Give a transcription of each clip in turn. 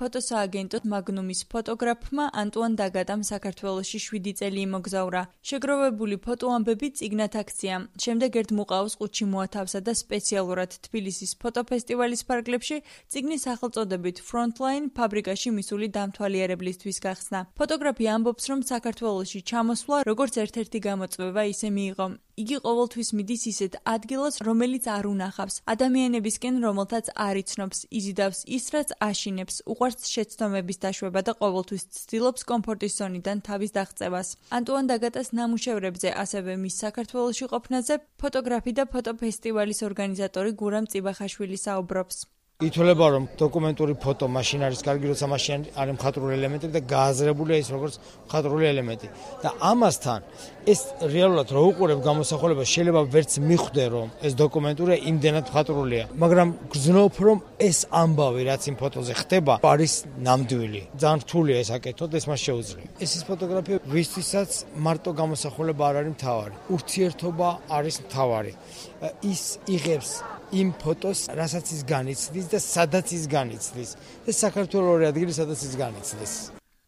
ფოტოსააგენტო მაგნუმის ფოტოგრაფმა ანტუან დაგატამ საქართველოში 7 წელი იმოგზაურა. შეგროვებული ფოტოამბები წიგნად აქცია. შემდეგ ერთ მუყაოს ყუთში მოათავსა და სპეციალურად თბილისის ფოტოფესტივალის ფარგლებში წიგნის სახელწოდებით Frontline ფაბრიკაში მისული დამთვალიერებლისთვის გახსნა. ფოტოგრაფი ამბობს, რომ საქართველოში ჩამოსვლა როგორც ერთ-ერთი გამოწვევა ისე მიიღო. იგი ყოველთვის მიდის ისეთ ადგილას, რომელიც არ უნახავს, ადამიანებისკენ, რომელთაც არ იცნობს, იზიდავს ის, რაც აშინებს, უყვარს შეცდომების დაშვება და ყოველთვის ცდილობს კომფორტის ზონიდან თავის დაღწევას. ანტუან დაგატას ნამუშევრებზე, ასევე მის საქართველოში ყოფნაზე, ფოტოგრაფი და ფოტოფესტივალის ორგანიზატორი გურამ წიბახაშვილი საუბრობს. ითვლება, რომ დოკუმენტური ფოტო მაშინ არის კარგი, როცა მაშინ არის მხატვრული ელემენტები და გააზრებულია ის როგორც მხატვრული ელემენტი. და ამასთან ეს რეალურად რო უყურებ გამოსახულებას, შეიძლება ვერც მიხვდე, რომ ეს დოკუმენტურია იმდენად მხატვრულია, მაგრამ გრძნობ, რომ ეს ამბავი, რაც იმ ფოტოზე ხდება, არის ნამდვილი. ძალიან რთულია ეს აკეთოთ, ეს მას შეუძლია. ეს ფოტოგრაფია ვისთვისაც მარტო გამოსახულება არ არის მთავარი. ურთიერთობა არის მთავარი. ის იღებს იმ ფოტოს, რასაც ის განიცდის და სადაც ის განიცდის. ეს საქართველოს ორი ადგილი, სადაც ის განიცდის.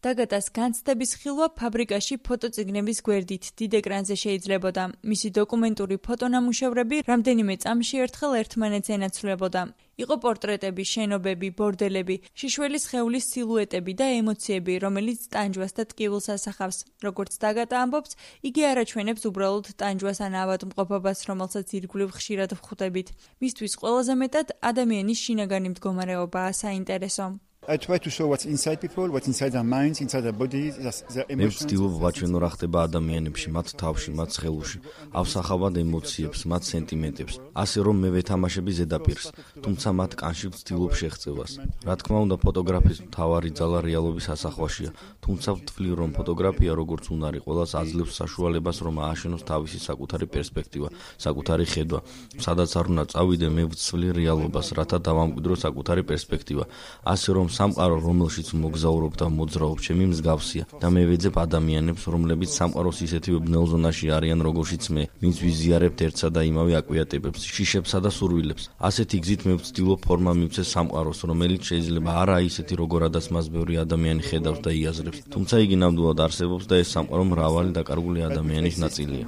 დაგატას განცდების ხილვა ფაბრიკაში ფოტოწიგნების გვერდით დიდ ეკრანზე შეიძლებოდა. მისი დოკუმენტური ფოტონამუშევრები რამდენიმე წამში ერთხელ ერთმანეთს ენაცვლებოდა. იყო პორტრეტები, შენობები, ბორდელები, შიშველის სხეულის სილუეტები და ემოციები, რომელიც ტანჯვას და ტკივილს ასახავს. როგორც დაგატა ამბობს, იგი არ აჩვენებს უბრალოდ ტანჯვას ან ავადმყოფობას, რომელსაც ირგვლივ ხშირად ვხვდებით. მისთვის ყველაზე მეტად ადამიანის შინაგანი მდგომარეობაა საინტერესო. I try to show what's inside people, what's inside their minds, inside their bodies, their emotions. მე ვცდილობ ვაჩვენო რა ხდება ადამიანებში, მათ თავში, მათ სხეულში, ავსახავად ემოციებს, მათ სენტიმენტებს, ასე რომ მე ვეთამაშები ზედაპირს, თუმცა მათ კანში ვცდილობ შეღწევას. რა თქმა უნდა, ფოტოგრაფის მთავარი ძალა რეალობის ასახვაშია, თუმცა ვთვლი, რომ ფოტოგრაფია როგორც უნარი ყველას აძლევს საშუალებას, რომ ააშენოს თავისი საკუთარი პერსპექტივა, საკუთარი ხედვა. სადაც არ უნდა წავიდე, მე ვცვლი რეალობას, რათა დავამკვიდრო საკუთარი პერსპექტივა. ასე რომ სამყარო, რომელშიც მოგზაურობ და მოძრაობ, ჩემი მსგავსია და მე ვეძებ ადამიანებს, რომლებიც სამყაროს ისეთივე ბნელ ზონაში არიან, როგორშიც მე, ვინც ვიზიარებთ ერთსა და იმავე აკვიატებებს, შიშებსა და სურვილებს. ასეთი გზით მე ვცდილობ ფორმა მივცეს სამყაროს, რომელიც შეიძლება არა ისეთი, როგორადაც მას ბევრი ადამიანი ხედავს და იაზრებს, თუმცა იგი ნამდვილად არსებობს და ეს სამყარო მრავალი დაკარგული ადამიანის ნაწილია.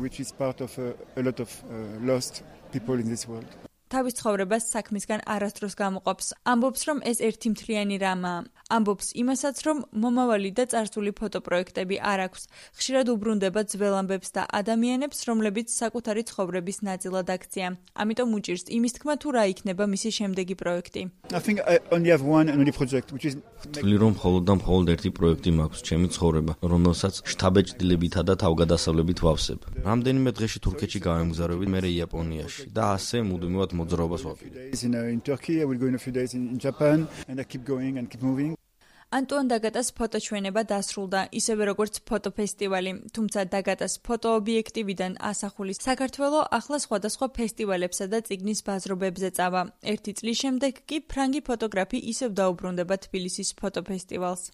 თავის ცხოვრებას საქმისგან არასდროს გამოყოფს. ამბობს, რომ ეს ერთი მთლიანი რამაა. ამბობს იმასაც, რომ მომავალი და წარსული ფოტოპროექტები არ აქვს. ხშირად უბრუნდება ძველ ამბებს და ადამიანებს, რომლებიც საკუთარი ცხოვრების ნაწილად აქცია. ამიტომ უჭირს იმის თქმა, თუ რა იქნება მისი შემდეგი პროექტი. ვთვლი, რომ მხოლოდ და მხოლოდ ერთი პროექტი მაქვს, ჩემი ცხოვრება, რომელსაც შთაბეჭდილებითა და თავგადასავლებით ვავსებ. რამდენიმე დღეში თურქეთში გავემგზავრებით, მერე იაპონიაში და ასე მუდმივად მოძრაობას ვაპირებ. ანტუან დაგატას ფოტოჩვენება დასრულდა, ისევე როგორც ფოტოფესტივალი, თუმცა დაგატას ფოტოობიექტივიდან ასახული საქართველო ახლა სხვადასხვა ფესტივალებსა და წიგნის ბაზრობებზე წავა. 1 წლის შემდეგ კი ფრანგი ფოტოგრაფი ისევ დაუბრუნდება თბილისის ფოტოფესტივალს.